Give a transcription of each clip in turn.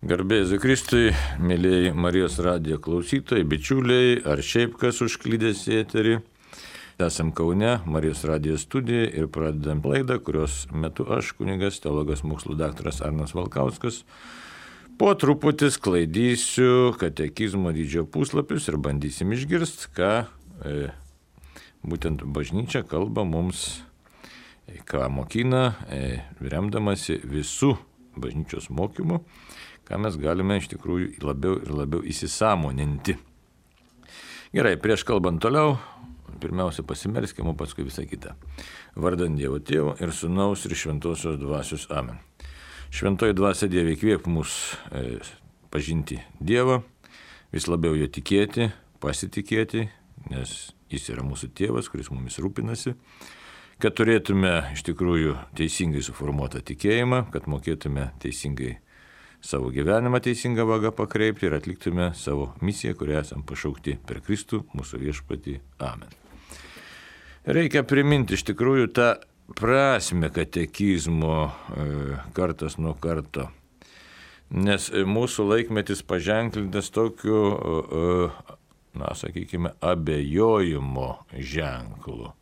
Garbė Jėzui Kristui, mėlyjei Marijos radijo klausytojai, bičiuliai, ar šiaip kas užklydęs į eterį. Esam Kaune, Marijos radijo studijoje ir pradedam laidą, kurios metu aš, kunigas, teologas mokslų daktaras Arnas Valkauskas, po truputį sklaidysiu katekizmo dydžio puslapius ir bandysim išgirsti, ką būtent bažnyčia kalba mums, ką mokina, remdamasi visų bažnyčios mokymų, ką mes galime iš tikrųjų labiau ir labiau įsisąmoninti. Gerai, prieš kalbant toliau, pirmiausia pasimelskime, o paskui visą kitą. Vardant Dievo Tėvo ir Sūnaus ir Šventosios Dvasios. Amen. Šventoji Dvasia Dieve įkvėp mus pažinti Dievą, vis labiau jo tikėti, pasitikėti, nes jis yra mūsų tėvas, kuris mumis rūpinasi, kad turėtume iš tikrųjų teisingai suformuotą tikėjimą, kad mokėtume teisingai savo gyvenimą teisingą vagą pakreipti ir atliktume savo misiją, kurią esam pašaukti per Kristų, mūsų viešpatį. Amen. Reikia priminti iš tikrųjų tą prasmę katekizmo kartas nuo karto, nes mūsų laikmetis paženklintas tokiu, sakykime, abejojimo ženklu,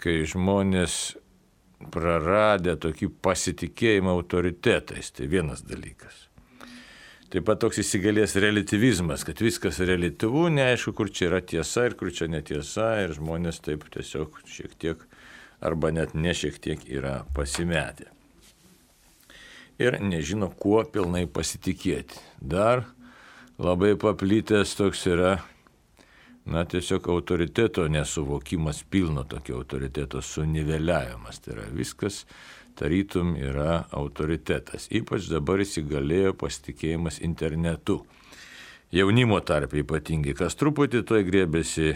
kai žmonės praradę tokį pasitikėjimą autoritetais, tai vienas dalykas. Taip pat toks įsigalės relativizmas, kad viskas relatyvu, neaišku, kur čia yra tiesa ir kur čia netiesa, ir žmonės taip tiesiog šiek tiek, arba net ne šiek tiek yra pasimetę. Ir nežino, kuo pilnai pasitikėti. Dar labai paplitęs toks yra, tiesiog autoriteto nesuvokimas, pilno tokio autoriteto suniveliavimas. Tai yra viskas tarytum yra autoritetas. Ypač dabar įsigalėjo pasitikėjimas internetu. Jaunimo tarp ypatingai, kas truputį toj grėbėsi,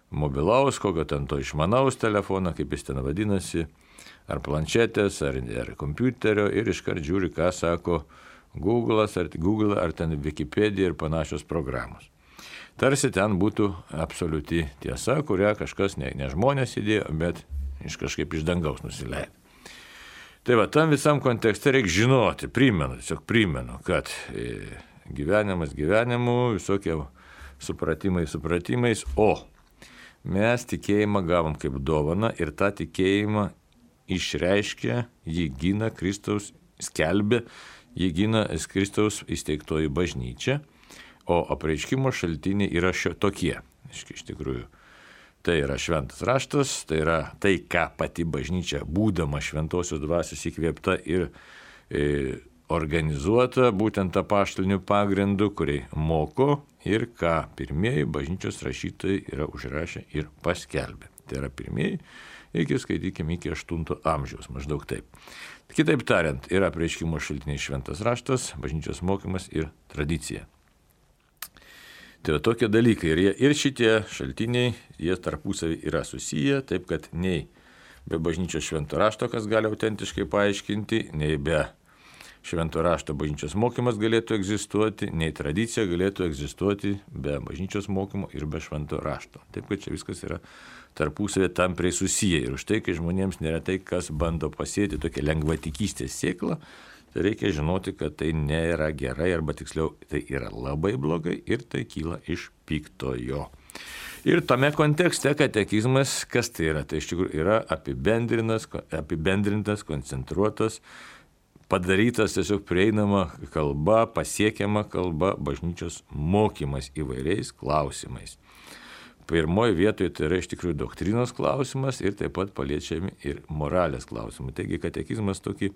mobilaus, kokio ten to išmanaus telefoną, kaip jis ten vadinasi, ar planšetės, ar kompiuterio, ir iškart žiūri, ką sako Google, ar ten Wikipedia ir panašios programos. Tarsi ten būtų absoliuti tiesa, kurią kažkas ne žmonės įdėjo, bet kažkaip iš dangaus nusileido. Tai va, tam visam kontekste reikia žinoti, primenu, kad gyvenimas gyvenimu, visokie supratimais, o mes tikėjimą gavom kaip dovaną ir tą tikėjimą išreiškia, jį gina Kristaus, skelbia, jį gina Kristaus įsteigtoji bažnyčia. O apreiškimo šaltiniai yra tokie. Iš tikrųjų, tai yra šventas raštas, tai yra tai, ką pati bažnyčia, būdama šventosios dvasios įkvėpta ir organizuota būtent apaštaliniu pagrindu, kuriai moko ir ką pirmieji bažnyčios rašytojai yra užrašę ir paskelbę. Tai yra pirmieji, skaitykime, iki 8 amžiaus, maždaug taip. Kitaip tariant, yra apreiškimo šaltiniai šventas raštas, bažnyčios mokymas ir tradicija. Tai tokie dalykai ir šitie šaltiniai, jie tarpusavį yra susiję, taip kad nei be bažnyčios švento rašto, kas gali autentiškai paaiškinti, nei be švento rašto bažnyčios mokymas galėtų egzistuoti, nei tradicija galėtų egzistuoti be bažnyčios mokymo ir be švento rašto. Taip kad čia viskas yra tarpusavį tampriai susiję. Ir už tai, kai žmonėms neretai kas bando pasėti tokią lengvatikystės sėklą, tai reikia žinoti, kad tai nėra gerai, arba tiksliau, tai yra labai blogai ir tai kyla iš piktojo. Ir tame kontekste katekizmas, kas tai yra? Tai iš tikrųjų yra apibendrintas, koncentruotas, padarytas tiesiog prieinama kalba, pasiekiama kalba, bažnyčios mokymas įvairiais klausimais. Pirmoje vietoje tai yra iš tikrųjų doktrinos klausimas ir taip pat paliečiami ir moralės klausimai. Taigi katekizmas tokį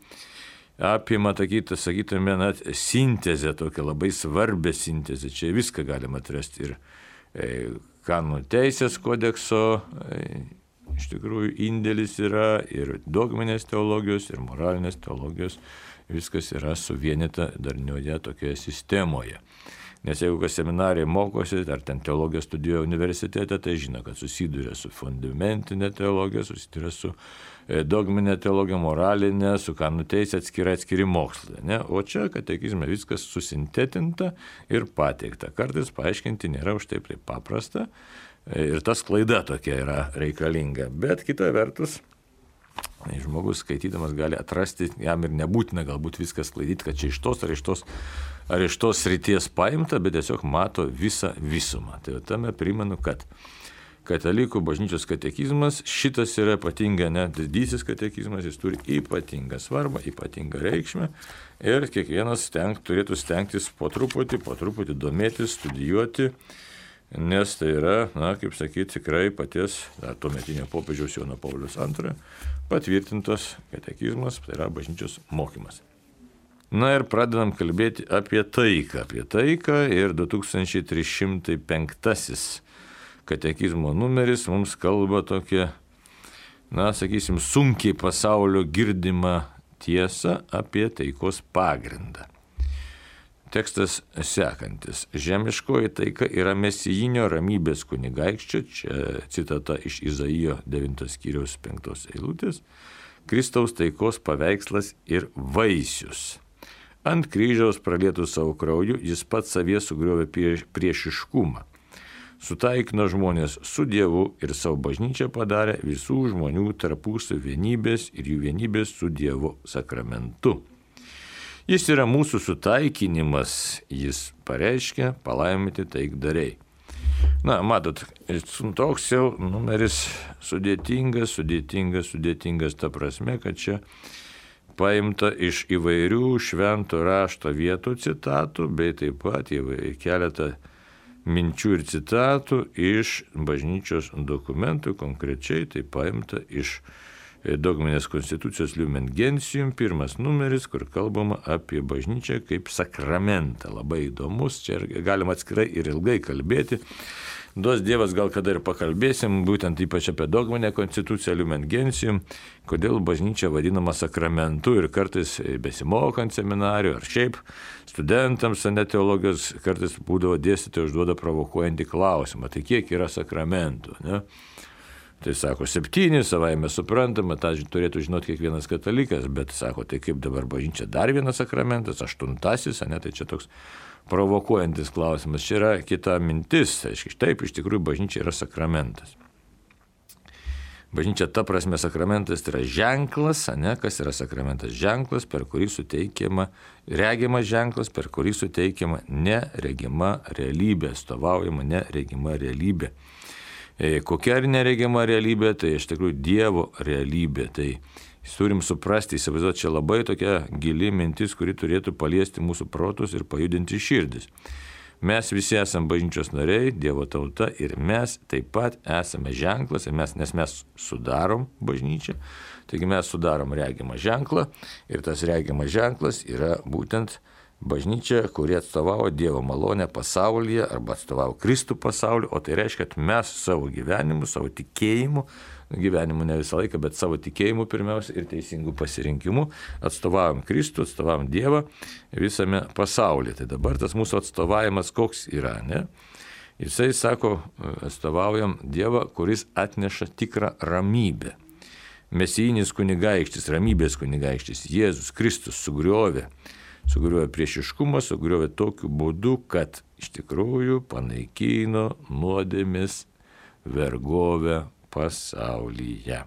apima, sakytume, sintezę, tokią labai svarbę sintezę. Čia viską galima atrasti ir kanonų teisės kodekso, iš tikrųjų indėlis yra ir dogminės teologijos, ir moralinės teologijos, viskas yra suvienyta darnioje tokioje sistemoje. Nes jeigu kas seminarijai mokosi, ar ten teologiją studijuoja universitete, tai žino, kad susiduria su fundamentinė teologija, susiduria su dogminė teologija, moralinė, su kanonų teisė atskiri mokslai. Ne? O čia katekizme viskas susintetinta ir pateikta. Kartais paaiškinti nėra už taip paprasta ir ta sklaida tokia yra reikalinga. Bet kita vertus, Žmogus skaitydamas gali atrasti, jam ir nebūtina galbūt viskas sklaidyti, kad čia iš tos ar iš tos srities paimta, bet tiesiog mato visą visumą. Tai tame primenu, kad Katalikų bažnyčios katekizmas, šitas yra ypatinga, didysis katekizmas, jis turi ypatingą svarbą, ypatingą reikšmę ir kiekvienas turėtų stengtis po truputį domėtis, studijuoti, nes tai yra, kaip sakyti, tikrai paties tuometinio popiežiaus Jono Pauliaus II patvirtintas katekizmas, tai yra bažnyčios mokymas. Ir pradedam kalbėti apie taiką ir 2305 katekizmo numeris mums kalba tokia, sakysim, sunkiai pasaulio girdimą tiesą apie taikos pagrindą. Tekstas sekantis. Žemiškoji taika yra mesijinio ramybės kunigaikščio, čia citata iš Izaijo 9 skyriaus 5 eilutės, Kristaus taikos paveikslas ir vaisius. Ant kryžiaus pralietų savo krauju jis pats savie sugriovė priešiškumą. Sutaikino žmonės su Dievu ir savo bažnyčią padarė visų žmonių tarpusavio vienybės ir jų vienybės su Dievo sakramentu. Jis yra mūsų sutaikinimas, jis pareiškia palaiminti taikdariai. Matot, toks jau numeris sudėtingas ta prasme, kad čia paimta iš įvairių švento rašto vietų citatų, bei taip pat keletą minčių ir citatų iš bažnyčios dokumentų, konkrečiai tai paimta iš dogminės konstitucijos Lumen Gentium, 1 numeris, kur kalbama apie bažnyčią kaip sakramentą. Labai įdomus, čia galima atskirai ir ilgai kalbėti. Duos Dievas, gal kada ir pakalbėsim, būtent ypač apie dogminę konstituciją Lumen Gentium, kodėl bažnyčia vadinama sakramentu ir kartais besimokant seminarijų ar šiaip studentams teologijos kartais būdavo dėstytojai užduoda provokuojantį klausimą, tai kiek yra sakramentų, ne? Tai sako 7, savaime suprantama, tą turėtų žinoti kiekvienas katalikas, bet sako, tai kaip dabar bažnyčia dar vienas sakramentas, 8, tai čia toks provokuojantis klausimas. Čia yra kita mintis, aiškiai, taip, iš tikrųjų bažnyčia yra sakramentas. Bažnyčia ta prasme sakramentas tai yra ženklas, kas yra sakramentas? Ženklas, per kurį suteikiama, regimas ženklas, per kurį suteikiama neregima realybė, atstovaujama neregima realybė. Kokia neregima realybė, tai iš tikrųjų Dievo realybė. Tai turim suprasti, įsivaizduoti, čia labai tokia gili mintis, kuri turėtų paliesti mūsų protus ir pajudinti širdis. Mes visi esame bažnyčios nariai, Dievo tauta ir mes taip pat esame ženklas, nes mes sudarom bažnyčią, taigi mes sudarom regimą ženklą ir tas regimas ženklas yra būtent bažnyčia, kuri atstovavo Dievo malonę pasaulyje arba atstovavo Kristų pasauliu, o tai reiškia, kad mes savo gyvenimu, savo tikėjimu, gyvenimu ne visą laiką, bet savo tikėjimu pirmiausia ir teisingų pasirinkimų atstovavom Kristų, atstovavom Dievą visame pasaulyje. Tai dabar tas mūsų atstovavimas koks yra, ne? Jisai sako, atstovaujam Dievą, kuris atneša tikrą ramybę. Mesijinis kunigaikštis, ramybės kunigaikštis, Jėzus Kristus sugriovė priešiškumą, sugriovė tokiu būdu, kad iš tikrųjų panaikino nuodėmės vergovę pasaulyje.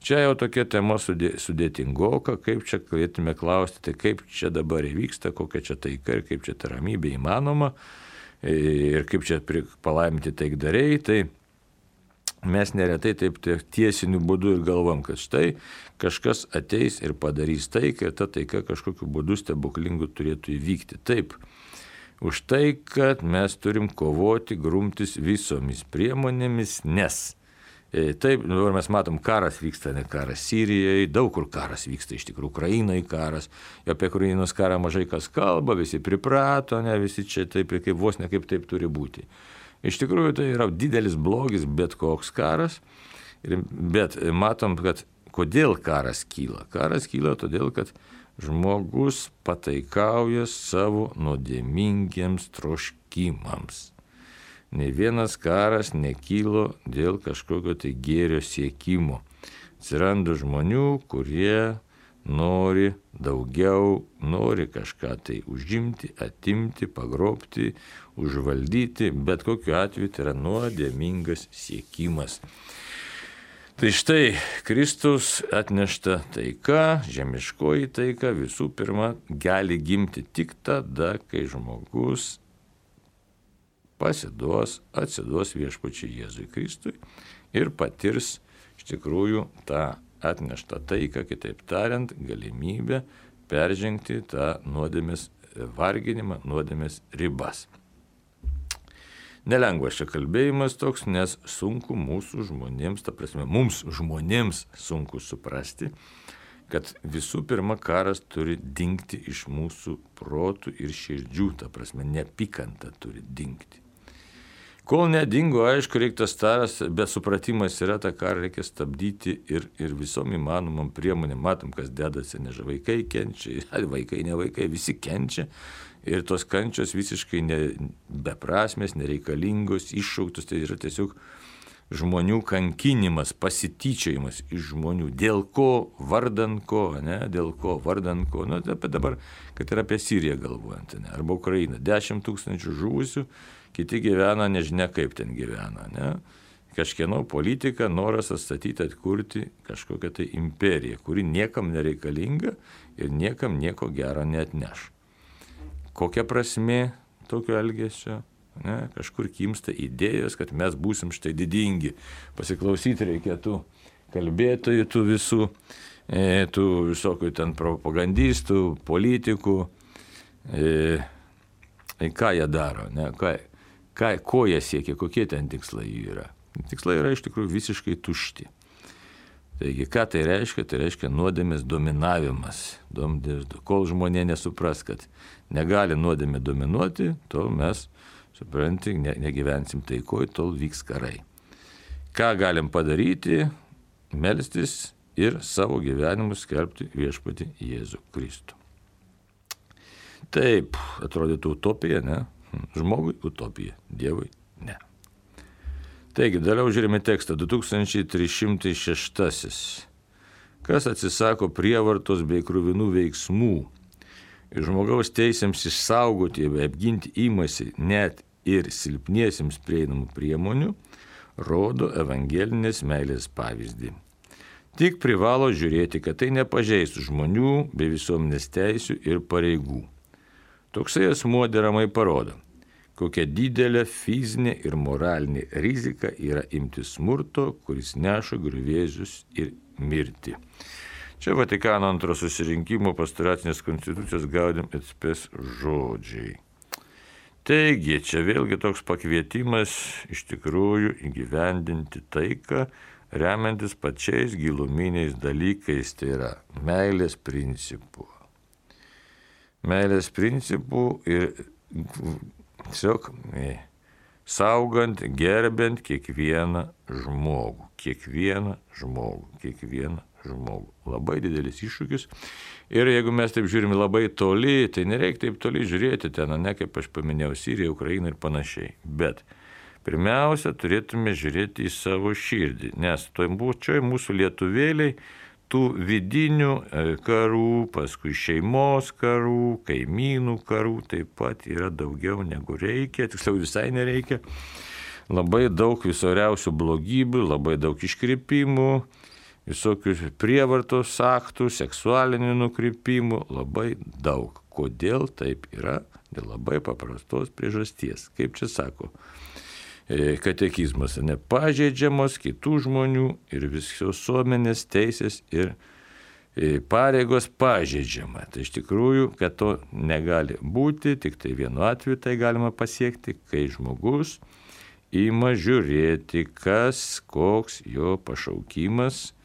Čia jau tokia tema sudėtingoka, kaip čia galėtume klausti, tai kaip čia dabar įvyksta, kokia čia taika ir kaip čia ta ramybė įmanoma ir kaip čia palaiminti taikdariai, tai mes neretai taip tiesiniu būdu ir galvom, kad štai kažkas ateis ir padarys taiką ir ta taika kažkokiu būdu stebuklingu turėtų įvykti. Taip, už tai, kad mes turim kovoti, grumtis visomis priemonėmis, nes taip, dabar mes matom, karas vyksta, ne karas Sirijoje, daug kur karas vyksta, iš tikrųjų Ukrainoje karas, apie Ukrainos karą mažai kas kalba, visi priprato, ne, visi čia taip kaip vos ne kaip taip turi būti. Iš tikrųjų tai yra didelis blogis bet koks karas, bet matom, kad kodėl karas kyla. Karas kyla todėl, kad žmogus pataikauja savo nuodėmingiems troškimams. Nei vienas karas nekylo dėl kažkokio tai gėrio siekimo. Atsiranda žmonių, kurie nori daugiau, nori kažką tai užimti, atimti, pagrobti, užvaldyti, bet kokiu atveju tai yra nuodėmingas siekimas. Tai štai Kristus atnešta taika, žemiškoji taika visų pirma gali gimti tik tada, kai žmogus atsiduos viešpačiui Jėzui Kristui ir patirs iš tikrųjų tą atneštą taiką, kitaip tariant, galimybę peržengti tą nuodėmės varginimą, nuodėmės ribas. Nelengvas čia kalbėjimas toks, nes sunku mūsų žmonėms, ta prasme, mums žmonėms sunku suprasti, kad visų pirma karas turi dingti iš mūsų protų ir širdžių, ta prasme, neapykanta turi dingti. Kol nedingo, aišku, reiktas taras, bet supratimas yra, tą karą reikia stabdyti ir visom įmanomam priemonėm. Matom, kas dedasi, nežinau, vaikai kenčia, vaikai, ne vaikai, visi kenčia. Ir tos kančios visiškai beprasmės, nereikalingos, iššauktos, tai yra tiesiog žmonių kankinimas, pasityčiojimas iš žmonių. Dėl ko, vardan ko, ne, dėl ko, vardan ko. Nu, apie dabar, kad ir apie Siriją galvojant, ne, arba Ukrainą. 10 000 žuvusių, kiti gyvena, nežinia kaip ten gyvena, ne. Kažkieno politika, noras atstatyti, atkurti kažkokią tai imperiją, kuri niekam nereikalinga ir niekam nieko gero neatneš. Kokia prasmė tokio elgesio? Ne? Kažkur kimsta idėjos, kad mes būsim štai didingi. Pasiklausyti reikėtų kalbėtojų, tų visų, tų visokių ten propagandistų, politikų. Ką jie daro? Ne? Ko jie siekia? Kokie ten tikslai yra? Tikslai yra iš tikrųjų visiškai tušti. Taigi, ką tai reiškia? Tai reiškia nuodėmės dominavimas. Kol žmonė nesupras, kad negali nuodėmė dominuoti, tol mes, supranti, negyvensim taikoj, tol vyks karai. Ką galim padaryti? Melstis ir savo gyvenimus skelbti viešpatį Jėzų Kristų. Taip, atrodytų utopija, ne? Žmogui utopija, Dievui ne. Taigi, dalia žiūrime tekstą 2306. Kas atsisako prievartos bei kruvinų veiksmų ir žmogaus teisėms išsaugoti bei apginti imasi net ir silpniesiems prieinamų priemonių, rodo evangelinės meilės pavyzdį. Tik privalo žiūrėti, kad tai nepažeistų žmonių bei visuomenės teisių ir pareigų. Toksai asmuo deramai parodo, kokia didelė fizinė ir moralinė rizika yra imti smurto, kuris neša griuvėsius ir mirtį. Čia Vatikano antro susirinkimo pastoracinės konstitucijos Gaudium et Spes žodžiai. Taigi, čia vėlgi toks pakvietimas iš tikrųjų įgyvendinti taiką, remiantis pačiais giluminiais dalykais, tai yra meilės principų. Meilės principų ir tiesiog saugant, gerbent kiekvieną žmogų. Labai didelis iššūkis. Ir jeigu mes taip žiūrime labai toli, tai nereikia taip toli žiūrėti ten, ne kaip aš paminėjau, Siriją, Ukrainą ir panašiai. Bet pirmiausia, turėtume žiūrėti į savo širdį, nes toj mūsų lietuvėliai tų vidinių karų, paskui šeimos karų, kaimynų karų taip pat yra daugiau negu reikia, tiksliau visai nereikia. Labai daug visoriausių blogybių, labai daug iškrypimų, visokių prievartos aktų, seksualinių nukrypimų, labai daug. Kodėl taip yra? Dėl labai paprastos priežasties. Kaip čia sako katekizmas, nepažeidžiamos kitų žmonių ir visos visuomenės teisės ir pareigos pažeidžiama. Tai iš tikrųjų, kad to negali būti, tik tai vienu atveju tai galima pasiekti, kai žmogus ima žiūrėti, koks jo pašaukimas,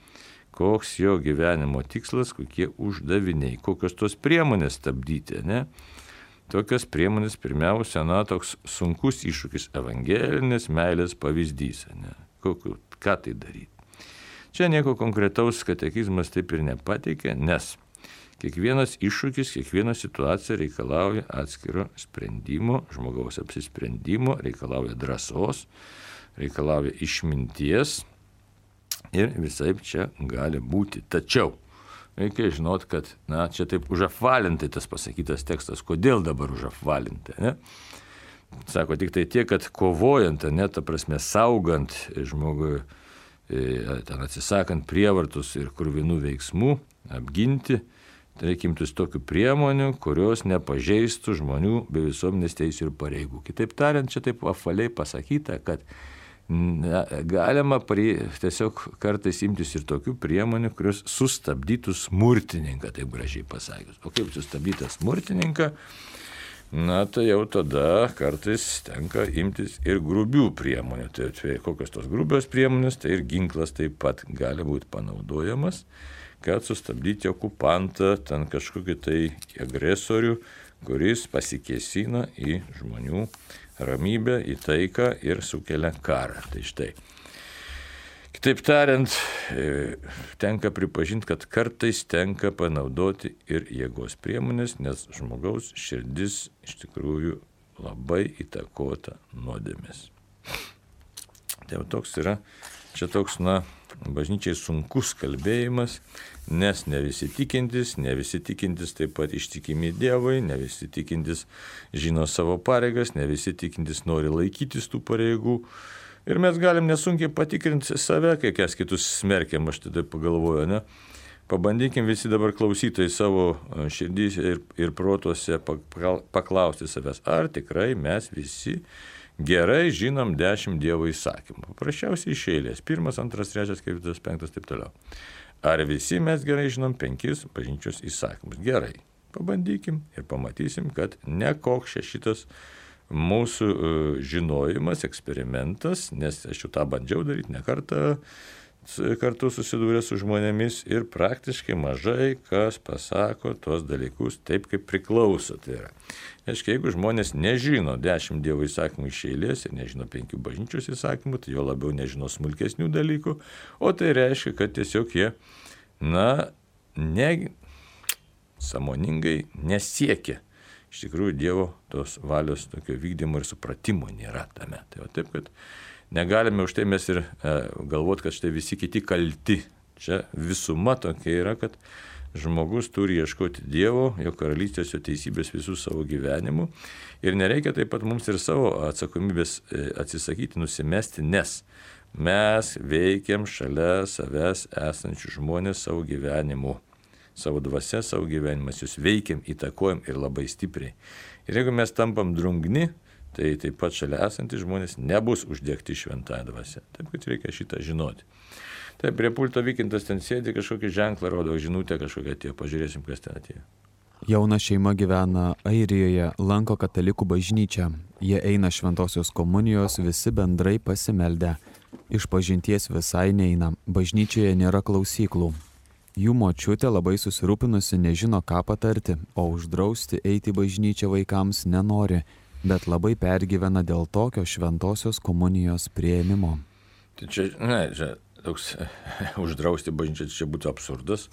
koks jo gyvenimo tikslas, kokie uždaviniai, kokios tos priemonės stabdyti, ne? Tokios priemonės pirmiausia, toks sunkus iššūkis evangelinės meilės pavyzdys, ne? Ką tai daryti? Čia nieko konkretaus katekizmas taip ir nepateikė, nes kiekvienas iššūkis, kiekviena situacija reikalauja atskiro sprendimo, žmogaus apsisprendimo, reikalauja drąsos, reikalauja išminties ir visaip čia gali būti. Tačiau reikia žinot, kad, čia taip užapvalintai tas pasakytas tekstas. Kodėl dabar užapvalintai, ne? Sako tik tai tiek, kad kovojant, ta prasme, saugant žmogui ten atsisakant prievartos ir krūvinų veiksmų, apginti, tai reikia imtis tokių priemonių, kurios nepažeistų žmonių bei visuomenės teisių ir pareigų. Kitaip tariant, čia taip apvaliai pasakyta, kad galima tiesiog kartais imtis ir tokių priemonių, kurios sustabdytų smurtininką, taip gražiai pasakius. O kaip sustabdyti smurtininką? Na, tai jau tada kartais tenka imtis ir grubių priemonių. Tai kokios tos grubios priemonės, tai ir ginklas taip pat gali būti panaudojamas, kad sustabdyti okupantą, ten kažkokį tai agresorių, kuris pasikėsina į žmonių ramybę, į taiką ir sukelia karą. Tai štai. Kitaip tariant, tenka pripažinti, kad kartais tenka panaudoti ir jėgos priemonės, nes žmogaus širdis iš tikrųjų labai įtakota nuodėmės. Tai toks yra, čia toks, bažnyčiai sunkus kalbėjimas, nes ne visi tikintis taip pat ištikimi Dievui, ne visi tikintis žino savo pareigas, ne visi tikintis nori laikytis tų pareigų. Ir mes galim nesunkiai patikrinti save, kai kas kitus smerkiam, aš tada pagalvoju, ne? Pabandykim visi dabar klausytojai savo širdys ir protuose paklausti savęs, ar tikrai mes visi gerai žinom 10 Dievo įsakymų. Paprasčiausiai iš eilės. 1, 2, 3, 4, 5, taip toliau. Ar visi mes gerai žinom 5 bažnyčios įsakymus? Gerai. Pabandykim ir pamatysim, kad nekoks šitas mūsų žinojimas, eksperimentas, nes aš jau tą bandžiau daryti ne kartu susidūrė su žmonėmis ir praktiškai mažai kas pasako tuos dalykus taip, kaip priklauso. Tai yra. Aiškiai, jeigu žmonės nežino 10 Dievo įsakymų iš eilės ir nežino 5 bažnyčios įsakymų, tai jo labiau nežino smulkesnių dalykų, o tai reiškia, kad tiesiog jie, sąmoningai nesiekia. Iš tikrųjų, Dievo tos valios tokio vykdymo ir supratimo nėra tame. Tai va taip, kad negalime už tai mes ir galvoti, kad štai visi kiti kalti. Čia visuma tokia yra, kad žmogus turi ieškoti Dievo, jo karalystės, jo teisybės visų savo gyvenimų. Ir nereikia taip pat mums ir savo atsakomybės atsisakyti, nusimesti, nes mes veikiam šalia savęs esančių žmonės savo gyvenimu. Savo dvasia, savo gyvenimas, jūs veikiam, įtakojam ir labai stipriai. Ir jeigu mes tampam drungni, tai taip pat šalia esantys žmonės nebus uždegti šventąją dvasią. Taip, kad reikia šitą žinoti. Taip, prie pulto Vykintas ten sėdi, kažkokį ženklą rodo, žinutę kažkokią atėjo. Pažiūrėsim, kas ten atėjo. Jauna šeima gyvena Airijoje, lanko katalikų bažnyčią. Jie eina šventosios komunijos, visi bendrai pasimeldę. Išpažinties visai neina, bažnyčioje nėra klausyklų. Jų močiutė labai susirūpinusi, nežino ką patarti, o uždrausti eiti į bažnyčią vaikams nenori, bet labai pergyvena dėl tokio šventosios komunijos priėmimo. Tai čia toks uždrausti bažnyčią čia būtų absurdas,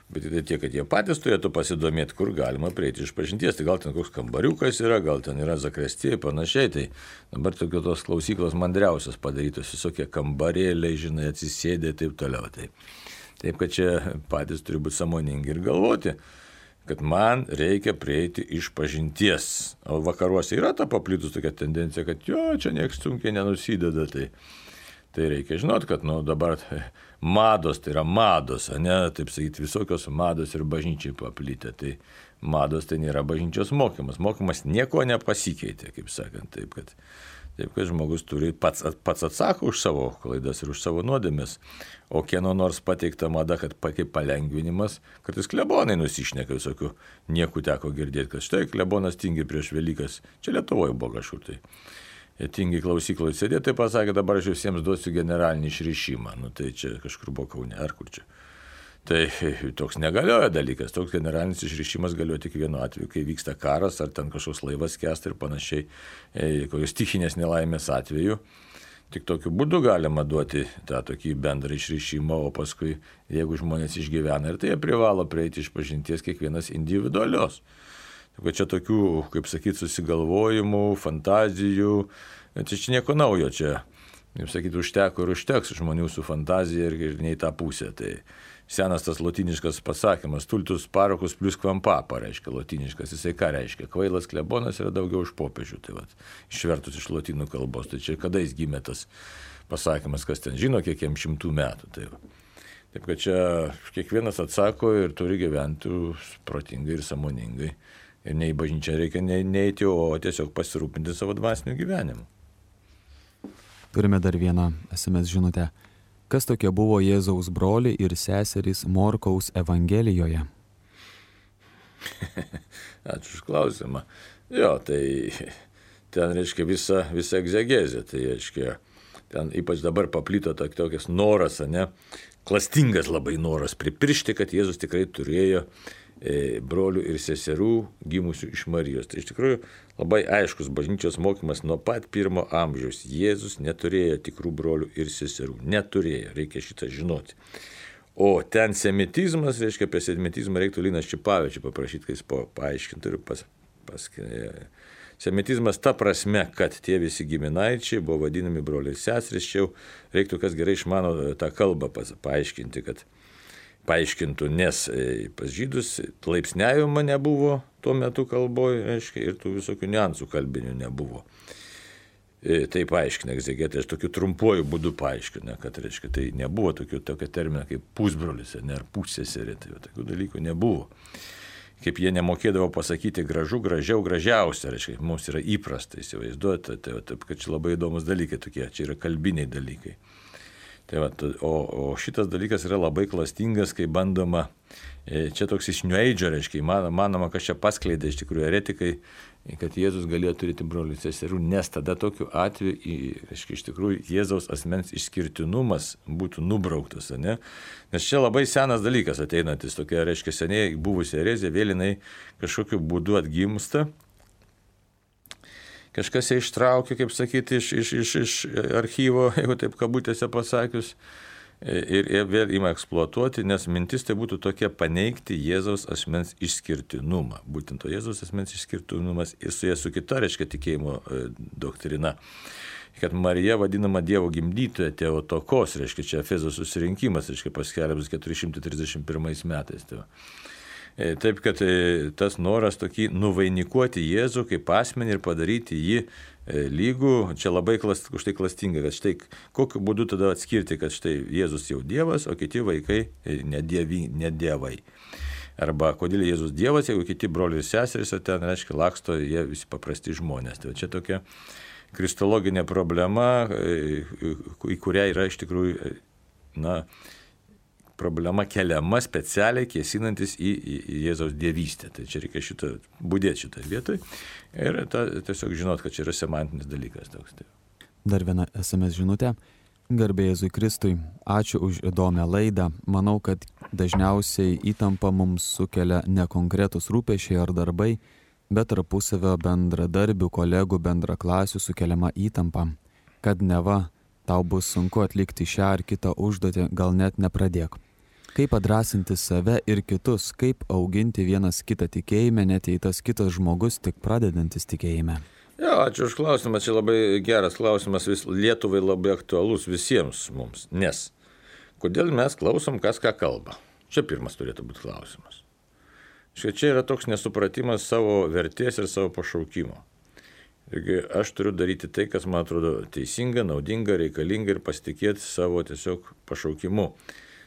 bet tai tiek, kad jie patys turėtų pasidomėti, kur galima prieiti išpažinties. Tai gal ten koks kambariukas yra, gal ten yra zakrestija, panašiai. Tai dabar tokios klausyklos mandriausios padarytos, visokie kambarėliai, žinai, atsisėdė ir taip toliau. Taip, kad čia patys turi būti sąmoningi ir galvoti, kad man reikia prieiti išpažinties. O vakaruose yra ta paplitus tokia tendencija, kad čia nieks sunkiai nenusideda. Tai reikia žinot, kad dabar mados, tai yra mados, ne, taip sakyti, visokios mados ir bažnyčiai paplitę. Tai mados tai nėra bažnyčios mokymas. Mokymas nieko nepasikeitė, kaip sakant, taip, kad žmogus turi pats atsako už savo klaidas ir už savo nuodėmes. O kieno nors pateikta mada, kad kaip palengvinimas, kartais klebonai nusišneka visokių, niekų teko girdėti, kad štai klebonas tingi prieš Velykas. Čia Lietuvoje buvo kažkur tai. Jie tingi klausykloje sėdė, tai pasakė, dabar aš visiems duosiu generalinį išrišimą. Tai čia kažkur buvo Kaune, ar kur čia. Tai toks negalioja dalykas, toks generalinis išrišimas galioja tik vienu atveju, kai vyksta karas, ar ten kažkoks laivas skęsta ir panašiai, kokios stichinės nelaimės atveju. Tik tokiu būdu galima duoti tą tokį bendrą išrišimą, o paskui, jeigu žmonės išgyvena, ir tai jie privalo prieiti išpažinties kiekvienas individualios. Taip, čia tokių, kaip sakyti, susigalvojimų, fantazijų, čia nieko naujo, čia, kaip sakyti, užteko ir užteks žmonių su fantazija ir ne į tą pusę. Tai senas tas lotiniškas pasakymas, tultus parokus plus kvampapa, reiškia lotiniškas, jisai ką reiškia? Kvailas klebonas yra daugiau už popiežių, tai vat, išvertus iš lotynų kalbos, tai čia kada jis gimė tas pasakymas, kas ten žino, kiek jam 100 metų. Taip kad čia kiekvienas atsako ir turi gyventi protingai ir sąmoningai. Ir ne į bažnyčią reikia neiti, o tiesiog pasirūpinti savo dvasiniu gyvenimu. Turime dar vieną SMS žinutę. Kas tokie buvo Jėzaus broliai ir seserys Morkaus Evangelijoje? Ačiū už klausimą. Jo, tai ten reiškia visa egzegezė. Tai reiškia, ten ypač dabar paplito tokias noras, klastingas labai noras pripiršti, kad Jėzus tikrai turėjo brolių ir seserų gimusių iš Marijos. Tai iš tikrųjų labai aiškus bažnyčios mokymas nuo pat 1 amžiaus. Jėzus neturėjo tikrų brolių ir seserų. Neturėjo, reikia šitą žinoti. O ten semitizmas, reiškia, apie semitizmą reiktų Liną Ščipavičių paprašyti, kai jis paaiškintų ir semitizmas ta prasme, kad tie visi giminaičiai buvo vadinami broliai ir seserys. Čia jau reiktų, kas gerai išmano tą kalbą paaiškinti, kad paaiškintų, nes pas žydus laipsniavimo nebuvo tuo metu kalboje, reiškia, ir tų visokių niuansų kalbinių nebuvo. Tai paaiškina egzegetai, aš tokiu trumpuoju būdu paaiškina, kad, reiškia, tai nebuvo tokio termino kaip pusbrolis ar pusseserė, tai tokių dalykų nebuvo. Kaip jie nemokėdavo pasakyti gražu, gražiau, gražiausia, reiškia, mums yra įprasta įsivaizduoti, taip, kad čia labai įdomus dalykai tokie, čia yra kalbiniai dalykai. Tai va, o šitas dalykas yra labai klastingas, kai bandoma, čia toks iš New Age, reiškia, manoma, kad čia paskleidė iš tikrųjų eretikai, kad Jėzus galėjo turėti brolių ir seserų, nes tada tokiu atveju, reiškia, iš tikrųjų Jėzaus asmens išskirtinumas būtų nubrauktas, Nes čia labai senas dalykas ateinantis, tokia, reiškia, seniai buvusi erezija, vėl jinai kažkokiu būdu atgimsta. Kažkas ją ištraukė, kaip sakyti, iš archyvo, jeigu taip kabutėse pasakius, ir vėl ima eksploatuoti, nes mintis tai būtų tokia paneigti Jėzaus asmens išskirtinumą. Būtent to Jėzaus asmens išskirtinumas ir su kita, reiškia, tikėjimo doktrina. Kad Marija vadinama Dievo gimdytoja, Teotokos, reiškia, čia Efezo susirinkimas, reiškia, paskelbtas 431 metais. Taip, kad tas noras tokį nuvainikuoti Jėzų kaip asmenį ir padaryti jį lygų, čia labai už tai klastinga, kad štai kokiu būdu tada atskirti, kad štai Jėzus jau Dievas, o kiti vaikai nedievai. Arba kodėl Jėzus Dievas, jeigu kiti broliai ir seserys, ten, reiškia, laksto jie visi paprasti žmonės. Tai čia tokia kristologinė problema, į kurią yra iš tikrųjų, problema keliama specialiai kėsinantis į Jėzaus dievystę. Tai čia reikia budėti šitą vietoj ir tiesiog žinot, kad čia yra semantinis dalykas. Dar viena SMS žinutė. Garbė Jėzui Kristui, ačiū už įdomią laidą. Manau, kad dažniausiai įtampa mums sukelia ne konkretus rūpesčiai ar darbai, bet tarpusavio bendradarbių, kolegų, bendraklasių sukeliama įtampa, kad neva tau bus sunku atlikti šią ar kitą užduotį, gal net nepradėk. Kaip padrasinti save ir kitus, kaip auginti vienas kitą tikėjime, net jei tas kitas žmogus tik pradedantis tikėjime. Jo, ačiū už klausimą, čia labai geras klausimas, Lietuvai labai aktualus visiems mums, nes kodėl mes klausom, kas ką kalba? Čia pirmas turėtų būti klausimas. Čia yra toks nesupratimas savo vertės ir savo pašaukimo. Taigi aš turiu daryti tai, kas man atrodo teisinga, naudinga, reikalinga ir pasitikėti savo tiesiog pašaukimu,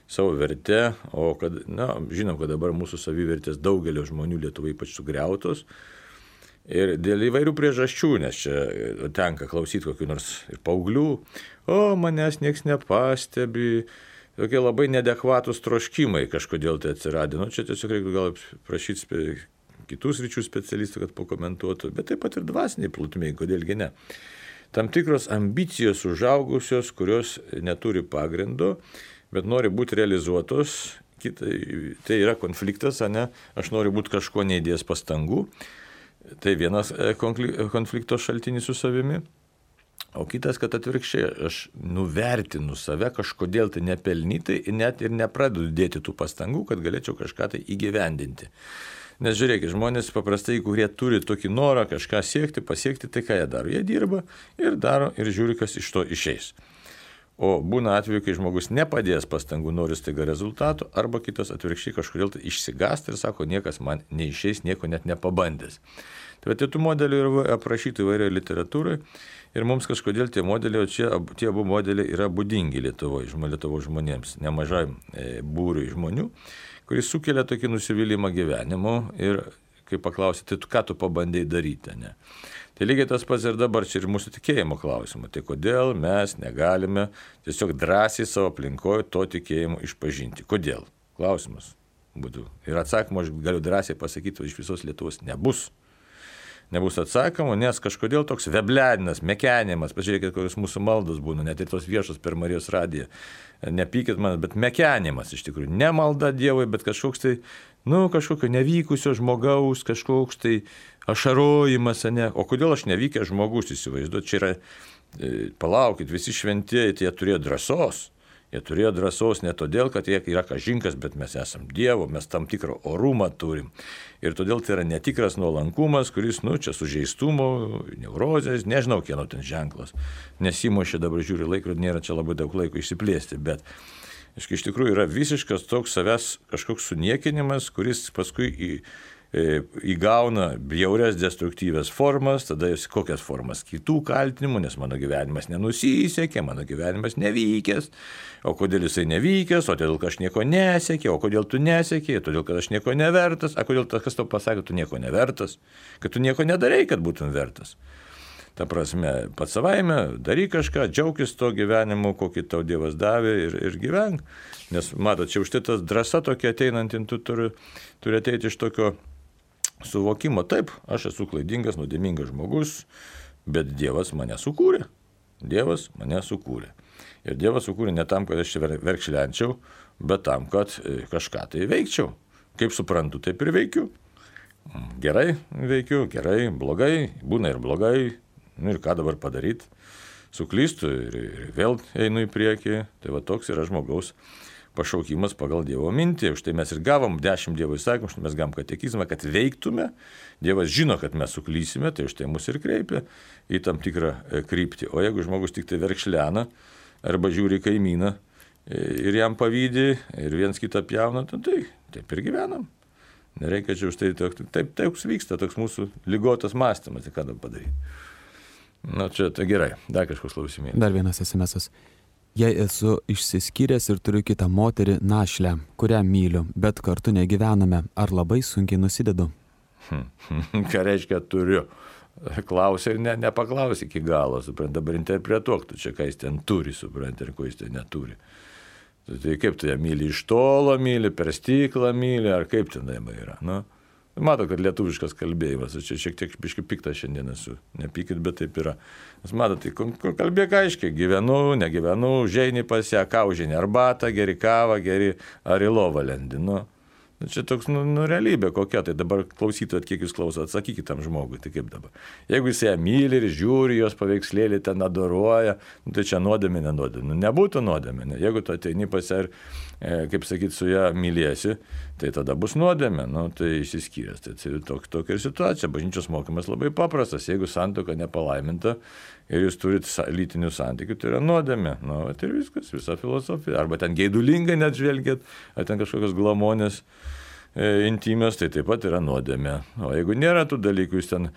savo vertę, o kad, žinom, kad dabar mūsų savivertės daugelio žmonių Lietuvai ypač sugriautos ir dėl įvairių priežasčių, nes čia tenka klausyti kokių nors ir paauglių, manęs nieks nepastebi, tokie labai neadekvatus troškimai kažkodėl tai atsiradė. Čia tiesiog reikia gal prašyti kitus ryčių specialistų, kad pakomentuotų, bet taip pat ir dvasiniai plotmėj, kodėlgi ne. Tam tikros ambicijos užaugusios, kurios neturi pagrindo, bet nori būti realizuotos, tai yra konfliktas, aš noriu būti kažko neįdėjęs pastangų, tai vienas konflikto šaltinis su savimi, o kitas, kad atvirkščiai, aš nuvertinu save kažkodėl tai nepelnytai, net ir nepradedu dėti tų pastangų, kad galėčiau kažką tai įgyvendinti. Nes žiūrėkit, žmonės paprastai, kurie turi tokį norą kažką siekti, pasiekti, tai ką jie daro? Jie dirba ir daro ir žiūri, kas iš to išeis. O būna atveju, kai žmogus nepadės pastangų, nori staiga rezultatų, arba kitas atvirkščiai kažkodėl tai išsigąsta ir sako, niekas man neišeis, nieko net nepabandęs. Tai tų modelių yra aprašyti įvairioje literatūroje ir mums kažkodėl tie modeliai, tie abu modeliai yra būdingi Lietuvos žmonėms, nemažai būriui žmonių, kuris sukelia tokį nusivylimą gyvenimu ir kai paklausite, tai ką tu pabandėjai daryti, ne? Tai lygiai tas pats ir dabar čia ir mūsų tikėjimo klausimu. Tai kodėl mes negalime tiesiog drąsiai savo aplinkoje to tikėjimo išpažinti? Kodėl? Klausimas būtų. Ir atsakymo aš galiu drąsiai pasakyti, iš visos Lietuvos nebus. Nebus atsakymo, nes kažkodėl toks vebledinas, mekenimas, pažiūrėkit, kokios mūsų maldos būna, net ir tos viešos per Marijos radiją. Nepykit man, bet mekenimas iš tikrųjų. Ne malda Dievui, bet kažkoks tai, kažkokio nevykusio žmogaus, kažkoks tai ašarojimas, ne? O kodėl aš nevykęs žmogus, įsivaizduot, čia yra, palaukit, visi šventieji, tai jie turėjo drąsos. Jie turėjo drąsos ne todėl, kad jie yra kažinkas, bet mes esam Dievo, mes tam tikrą orumą turim. Ir todėl tai yra netikras nuolankumas, kuris, čia sužeistumo, neurozės, nežinau, kieno ten ženklas. Nesimuošė dabar žiūri laikrodį, nėra čia labai daug laiko išsiplėsti, bet iš tikrųjų yra visiškas toks savęs kažkoks suniekinimas, kuris paskui įgauna bjaurias destruktyvias formas, tada kokias formas? Kitų kaltinimų, nes mano gyvenimas nenusisekė, mano gyvenimas nevykęs, o kodėl jisai nevykęs, o todėl, kad aš nieko nesekė, o kodėl tu nesekė, todėl, kad aš nieko nevertas, o kodėl kas tau pasakė, tu nieko nevertas, kad tu nieko nedarai, kad būtum vertas. Ta prasme, pats savaime, daryk kažką, džiaukis to gyvenimu, kokį tau Dievas davė ir gyvenk. Nes, matot, čia už tai tas drąsa tokia ateinanti, tu turi ateiti iš tokio suvokimo, taip, aš esu klaidingas, nuodėmingas žmogus, bet Dievas mane sukūrė. Dievas mane sukūrė. Ir Dievas sukūrė ne tam, kad aš čia verkšlenčiau, bet tam, kad kažką tai veikčiau. Kaip suprantu, taip ir veikiu. Gerai veikiu, gerai, blogai, būna ir blogai. Ir ką dabar padaryti? Suklystu ir vėl einu į priekį. Tai va toks yra žmogaus pašaukimas pagal Dievo mintį. Už tai mes ir gavom 10 Dievo įsakymų, už tai mes gavom katekizmą, kad veiktume. Dievas žino, kad mes suklysime, tai už tai mus ir kreipia į tam tikrą kryptį. O jeigu žmogus tik tai verkšlena arba žiūri kaimyną ir jam pavydi ir viens kitą pjauna, tai taip ir gyvenam. Nereikia čia už tai, taip vyksta toks mūsų ligotas mąstymas, tai ką dabar padaryti. Čia tai gerai, dar kažkoks klausimėlis. Dar vienas SMS-as. Jei esu išsiskyręs ir turiu kitą moterį našlę, kurią myliu, bet kartu negyvename, ar labai sunkiai nusidedu? Ką reiškia turiu? Klausia ir nepaklausia iki galo, suprant, dabar interpretuok, tu čia ką jis ten turi, suprant, ir ko jis ten neturi. Tai kaip tu ją myli, iš tolo myli, per stiklą myli, ar kaip ten yra, Mato, kad lietuviškas kalbėjimas, aš čia šiek tiek biškai piktas šiandien esu, nepykit, bet taip yra. Nes mato, tai kalbėk aiškiai, gyvenu, negyvenu, užeini pas ją, ką užeini, arbatą, geri kavą, geri ar į lovą lendi, Čia toks, realybė kokia, tai dabar klausytumėt, kiek jūs klausot, atsakykit tam žmogui, tai kaip dabar. Jeigu jis ją myli ir žiūri, jos paveikslėlį ten adoruoja, tai čia nuodėmė, nenuodėmė. Nebūtų nuodėmė, jeigu tu ateini pas ją ir, kaip sakyt, su ją myliesi, tai tada bus nuodėmė, tai išsiskyręs. Tai tokia ir situacija, bažnyčios mokymas labai paprastas, jeigu santuoka nepalaiminta ir jūs turit lytinių santykių, tai yra nuodėmė, tai ir viskas, visa filosofija. Arba ten geidulingai net žvelgiat, ar ten kažkokios glamonės intimės, tai taip pat yra nuodėmė. O jeigu nėra tų dalykų, jūs ten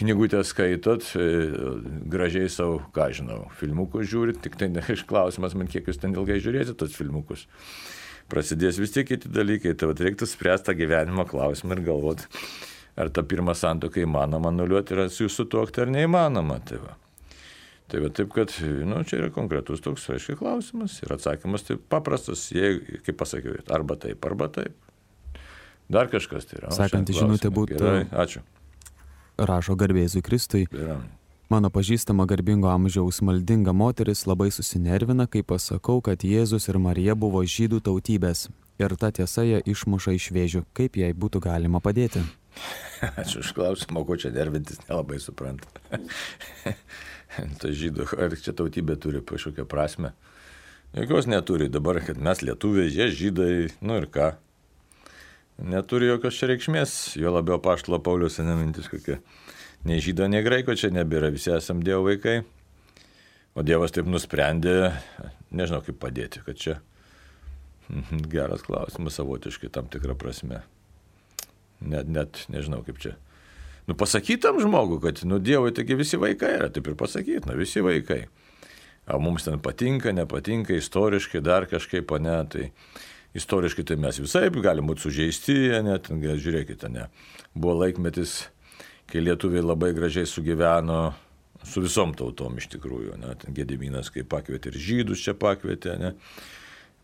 knygutę skaitot, gražiai savo, ką žinau, filmukus žiūrit, tik tai klausimas man, kiek jūs ten ilgai žiūrėsit tos filmukus. Prasidės vis tiek kiti dalykai, tai reiktų spręsti tą gyvenimo klausimą ir galvoti, ar tą pirmą santuoką įmanoma anuliuoti ir su jūsų tuokti ar neįmanoma. Tai taip, kad čia yra konkretus toks, aiškiai, klausimas ir atsakymas tai paprastas, kaip pasakiau, arba taip. Dar kažkas tai yra. Sekanti žinutė būtų. Gerai, ačiū. Rašo garbėzui Kristui. Gerai. Mano pažįstama garbingo amžiaus maldinga moteris labai susinervina, kai pasakau, kad Jėzus ir Marija buvo žydų tautybės. Ir ta tiesa ją išmuša iš vėžių. Kaip jai būtų galima padėti? Ačiū už klausimą, ko čia nervintis, nelabai supranta. Tai žydų, ar čia tautybė turi kažkokią prasme? Jokios neturi. Dabar, kad mes lietuviai, jie žydai, ir ką? Neturi jokios čia reikšmės, jo labiau apaštalo Pauliaus mintis kokia. Nei žydo, nei graiko čia nebėra, visi esam Dievo vaikai. O Dievas taip nusprendė, nežinau kaip padėti, kad čia geras klausimas savotiškai tam tikrą prasme. Net nežinau kaip čia. Pasakytam žmogui, kad Dievui taigi visi vaikai yra, taip ir pasakyti, visi vaikai. O mums ten patinka, nepatinka, istoriškai dar kažkaip, ne, tai istoriškai tai mes visai galim būti sužeisti, net, žiūrėkite, ne. Buvo laikmetis, kai lietuviai labai gražiai sugyveno su visom tautom iš tikrųjų, ne, ten Gediminas kaip pakvietė ir žydus čia pakvietė, ne.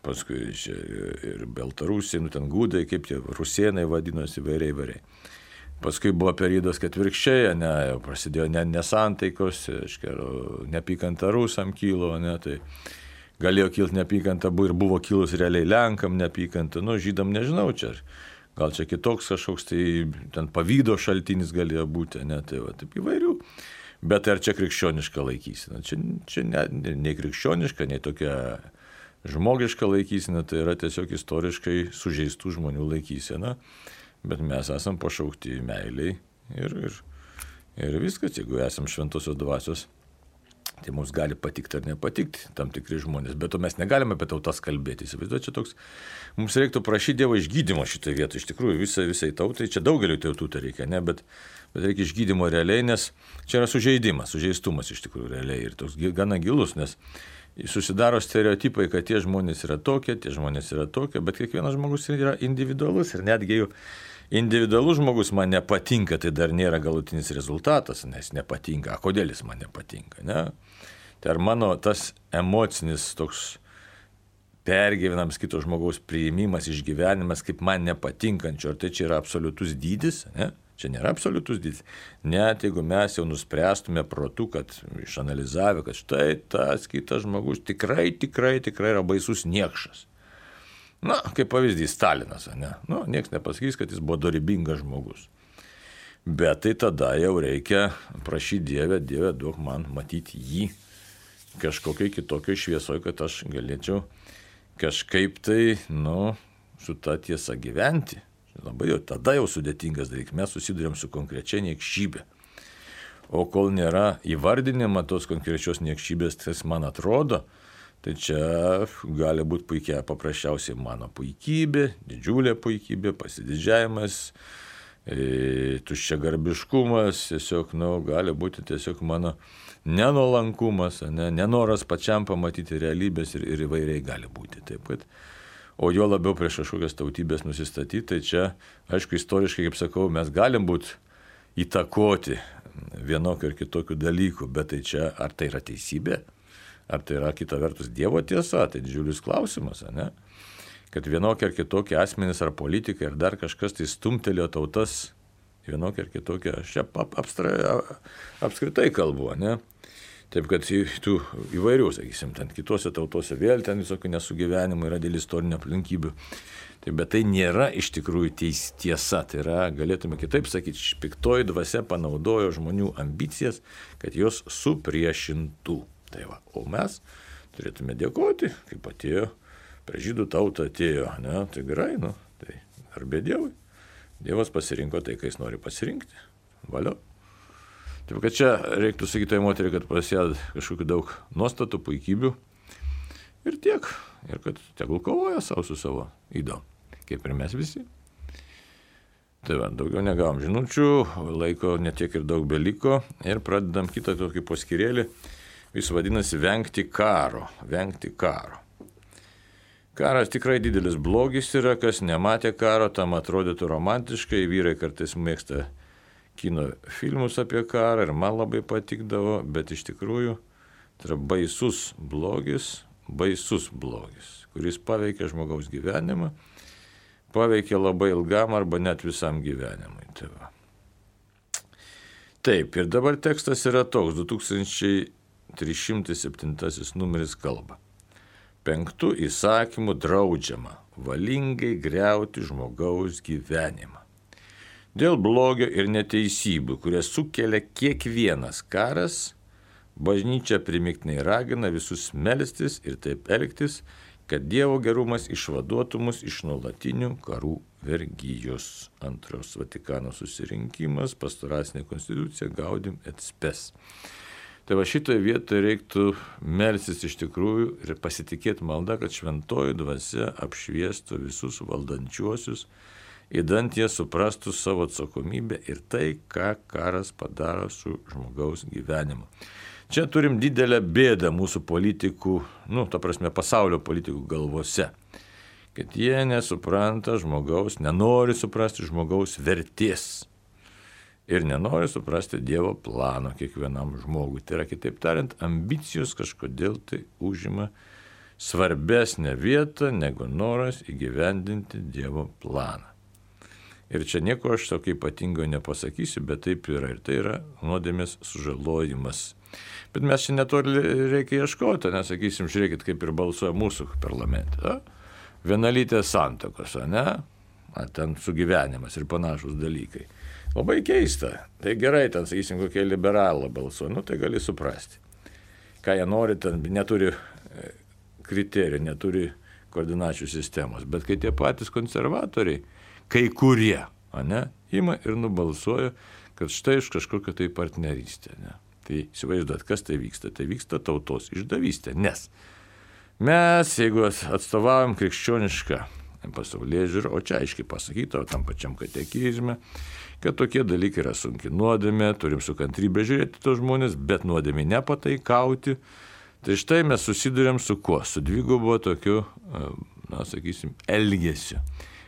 Paskui čia ir Baltarusiai, ten gudai, kaip tie rusėnai vadinosi, įvairiai. Paskui buvo periodas, kad atvirkščiai, jau prasidėjo nesantaikos, neapykanta rusam kilo, tai galėjo kilti neapykanta, ir buvo kilus realiai Lenkam neapykanta, žydam nežinau, čia gal čia kitoks kažkoks, tai ten pavydo šaltinis galėjo būti, tai va, taip įvairių. Bet ar čia krikščioniška laikysena? Čia nei krikščioniška, nei tokia žmogiška laikysena, tai yra tiesiog istoriškai sužeistų žmonių laikysena, bet mes esam pašaukti meiliai ir viskas, jeigu esam šventosios dvasios, tai mums gali patikti ar nepatikti tam tikri žmonės, bet to mes negalime apie tautas kalbėti. Įsivaizduoju, čia toks, mums reiktų prašyti Dievo išgydymo šitoje vietoje, iš tikrųjų visai tautai, čia daugeliu tautų tai reikia, ne, bet reikia išgydymo realiai, nes čia yra sužeistumas iš tikrųjų realiai ir toks gana gilus, nes susidaro stereotipai, kad tie žmonės yra tokie, bet kiekvienas žmogus yra individualus ir netgi jeigu individualus žmogus man nepatinka, tai dar nėra galutinis rezultatas, nes nepatinka. Kodėl jis man nepatinka, ne? Tai ar mano tas emocinis toks pergyvenams kito žmogaus priėmimas, išgyvenimas kaip man nepatinkančio, ar tai čia yra absoliutus dydis, ne? Čia nėra absoliutus dydis. Net jeigu mes jau nuspręstume protu, kad išanalizavę, kad štai tas kitas žmogus tikrai yra baisus niekšas. Kaip pavyzdys Stalinas, ne? Niekas nepasakys, kad jis buvo dorybingas žmogus. Bet tai tada jau reikia prašyti Dieve, duok man matyti jį kažkokiai kitokiai šviesoje, kad aš galėčiau kažkaip tai, su ta tiesa gyventi. Labai jau tada jau sudėtingas dalykas, mes susidurėm su konkrečia niekšybė. O kol nėra įvardinima tos konkrečios niekšybės, kas man atrodo, tai čia gali būti paprasčiausiai mano puikybė, didžiulė puikybė, pasididžiavimas, tuščiagarbiškumas, tiesiog, gali būti tiesiog mano nenolankumas, nenoras pačiam pamatyti realybės ir įvairiai gali būti. Taip, kad o jo labiau prieš kažkokias tautybės nusistatyti, tai čia, aišku, istoriškai, kaip sakau, mes galim būti įtakoti vienokių ir kitokių dalykų, bet tai čia, ar tai yra teisybė, ar tai yra kita vertus Dievo tiesa, tai didžiulis klausimas, ne? Kad vienokie ar kitokie asmenys ar politikai ar dar kažkas tai stumtelėjo tautas vienokie ar kitokie, aš čia apskritai kalbu, ne? Taip, kad tų įvairių, sakysim, ten kitose tautose vėl ten visokių nesugyvenimų yra dėl istorinių aplinkybių. Taip, bet tai nėra iš tikrųjų tiesa. Tai yra, galėtume kitaip sakyti, piktoji dvasia panaudojo žmonių ambicijas, kad jos supriešintų. Tai va, o mes turėtume dėkoti, kaip atėjo, prie žydų tautą atėjo, ne, tai gerai, tai garbė Dievui. Dievas pasirinko tai, ką jis nori pasirinkti. Valio. Taip, kad čia reiktų sakyti tai moteriai, kad prasideda kažkokių daug nuostatų, puikybių ir tiek. Ir kad tegul kovoja savo su savo ydom, kaip ir mes visi. Tai va, daugiau negavom žinučių, laiko netiek ir daug beliko ir pradedam kitą tokį poskyrėlį. Jis vadinasi vengti karo. Karas tikrai didelis blogis yra, kas nematė karo, tam atrodytų romantiškai, vyrai kartais mėgsta kino filmus apie karą ir man labai patikdavo, bet iš tikrųjų tai yra baisus blogis, kuris paveikia žmogaus gyvenimą, paveikia labai ilgam arba net visam gyvenimui. Tai va. Taip, ir dabar tekstas yra toks, 2307 numeris kalba. 5 įsakymų draudžiama valingai griauti žmogaus gyvenimą. Dėl blogio ir neteisybių, kurias sukelia kiekvienas karas, bažnyčia primiktinai ragina visus melstis ir taip elgtis, kad Dievo gerumas išvaduotų mus iš nuolatinių karų vergijos. Antros Vatikano susirinkimas, pastoracinė konstitucija, Gaudium et Spes. Tai va šitoje vietoje reiktų melstis iš tikrųjų ir pasitikėti malda, kad šventoji dvasia apšviestų visus valdančiuosius, įdant jie suprastų savo atsakomybę ir tai, ką karas padaro su žmogaus gyvenimu. Čia turim didelę bėdą mūsų politikų, pasaulio politikų galvose, kad jie nesupranta žmogaus, nenori suprasti žmogaus vertės. Ir nenori suprasti Dievo plano kiekvienam žmogui. Tai yra, kitaip tariant, ambicijos kažkodėl tai užima svarbesnę vietą negu noras įgyvendinti Dievo planą. Ir čia nieko aš tokio ypatingo nepasakysiu, bet taip yra. Ir tai yra nuodėmės sužalojimas. Bet mes čia netoli reikia ieškoti, nesakysim, žiūrėkit, kaip ir balsuoja mūsų parlamente. Vienalytės santuokos, ne? Ten sugyvenimas ir panašus dalykai. Labai keista. Tai gerai, ten, sakysim, kokie liberalą balsuoja, tai gali suprasti. Ką jie nori, ten neturi kriterijų, neturi koordinačių sistemos. Bet kai tie patys konservatoriai, kai kurie, ima ir nubalsuoja, kad štai iš kažkokio tai partnerystė. Ne? Tai įsivaizduot, kas tai vyksta. Tai vyksta tautos išdavystė. Nes mes, jeigu atstovaujam krikščionišką pasaulyje žiūrį, o čia aiškiai pasakyta, tam pačiam katekizme, kad tokie dalykai yra sunki nuodėmė, turim su kantrybė žiūrėti tos žmonės, bet nuodėmė nepataikauti. Tai štai mes susidurėm su kuo? Su dvigubo tokiu, elgesiu.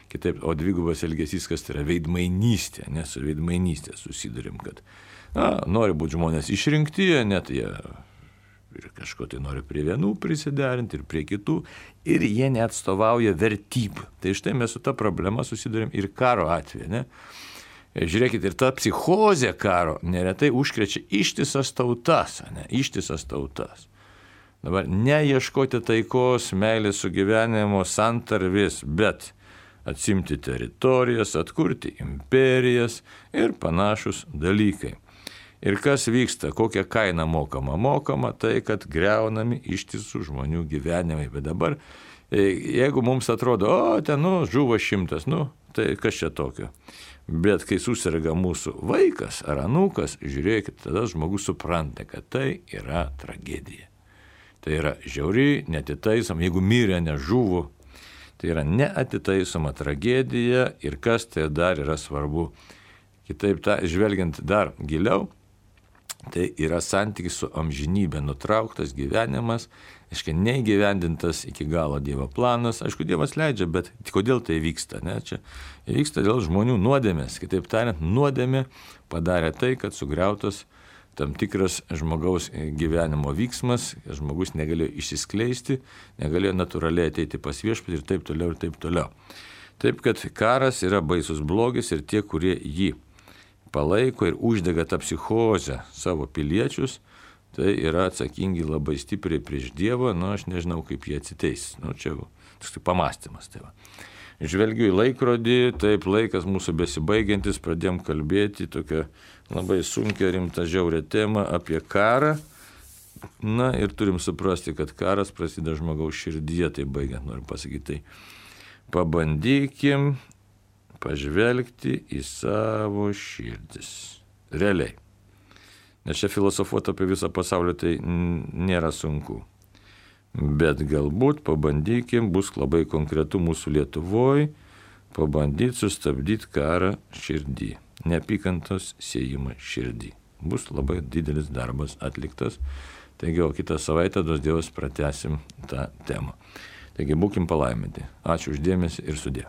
Kitaip, o dvigubas elgesys, kas tai yra veidmainystė, nes su veidmainystė susidurėm, kad nori būti žmonės išrinkti, net jie ir kažko tai nori prie vienų prisiderinti ir prie kitų, ir jie neatstovauja vertybių. Tai štai mes su ta problema susidurėm ir karo atveju, ne? Žiūrėkit, ir ta psichozė karo neretai užkrečia ištisas tautas, ištisas tautas. Dabar neieškoti taikos, meilės sugyvenimo, santarvės, bet atsimti teritorijas, atkurti imperijas ir panašus dalykai. Ir kas vyksta, kokia kaina mokama? Mokama tai, kad greunami ištisų žmonių gyvenimai. Bet dabar, jeigu mums atrodo, žuvo 100, tai kas čia tokio? Bet kai susirga mūsų vaikas ar anūkas, žiūrėkit, tada žmogus supranta, kad tai yra tragedija. Tai yra žiauri, neatitaisoma, jeigu mirė, nežuvo, tai yra neatitaisoma tragedija ir kas tai dar yra svarbu. Kitaip žvelgiant dar giliau, tai yra santykis su amžinybė, nutrauktas gyvenimas, neįgyvendintas iki galo Dievo planas. Aišku, Dievas leidžia, bet kodėl tai vyksta? Ne? Čia vyksta dėl žmonių nuodėmės. Kitaip tariant, nuodėmė padarė tai, kad sugriautas tam tikras žmogaus gyvenimo vyksmas, žmogus negalėjo išsiskleisti, negalėjo natūraliai ateiti pas viešpatį ir taip toliau ir taip toliau. Taip, kad karas yra baisus blogis ir tie, kurie jį palaiko ir uždega tą psichozę savo piliečius, tai yra atsakingi labai stipriai prieš Dievą, aš nežinau, kaip jie atsiteis. Čia toks pamąstymas. Tai va. Žvelgiu į laikrodį, taip laikas mūsų besibaigiantis, pradėjom kalbėti tokią labai sunkią, rimtą, žiaurę temą apie karą. Ir turim suprasti, kad karas prasideda žmogaus širdyje, tai baigiant noriu pasakyti. Tai pabandykim pažvelgti į savo širdis. Realiai. Nes čia filosofuoti apie visą pasaulį tai nėra sunku. Bet galbūt pabandykim, bus labai konkretu mūsų Lietuvoje, pabandyti sustabdyti karą širdį. Neapykantos siejimą širdį. Bus labai didelis darbas atliktas. Taigi, o kitą savaitę duos Dievas pratęsim tą temą. Taigi, būkim palaiminti. Ačiū už dėmesį ir sudie.